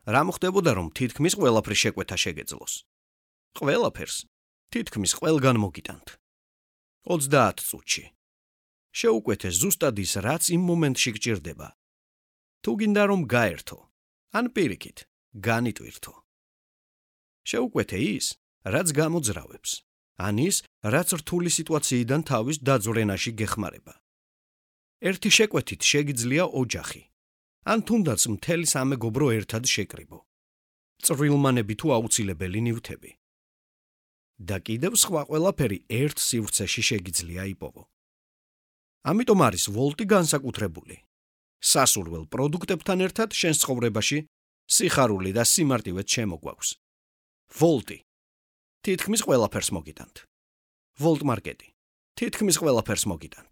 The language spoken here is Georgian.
რა მოხდებოდა, რომ თითქმის ყველაფრის შეკვეთა შეგეძლოს? ყველაფერს თითქმის ყველგან მოგიტანთ. 30 წუთში. შეუკვეთე ზუსტად ის, რაც იმ მომენტში გჭირდება. თუ გინდა რომ გაერთო, ან პირიქით, განიტვირთო. შეუკვეთე ის, რაც გამოძრავებს, ან ის, რაც რთული სიტუაციიდან თავის დაძვრენაში გეხმარება. ერთი შეკვეთით შეგიძლია ოჯახი, ან თუნდაც მთელი სამეგობრო ერთად შეკრიბო. წვრილმანები თუ აუცილებელი ნივთები. და კიდევ სხვა ყველაფერი ერთ სივრცეში შეგიძლია იპოვო. ამიტომ არის ვოლტი განსაკუთრებული. სასურველ პროდუქტებთან ერთად შენს ცხოვრებაში სიხარული და სიმარტივეც შემოგვაქვს. ვოლტი. თითქმის ყველაფერს მოგიტანთ. ვოლტ მარკეტი. თითქმის ყველაფერს მოგიტანთ.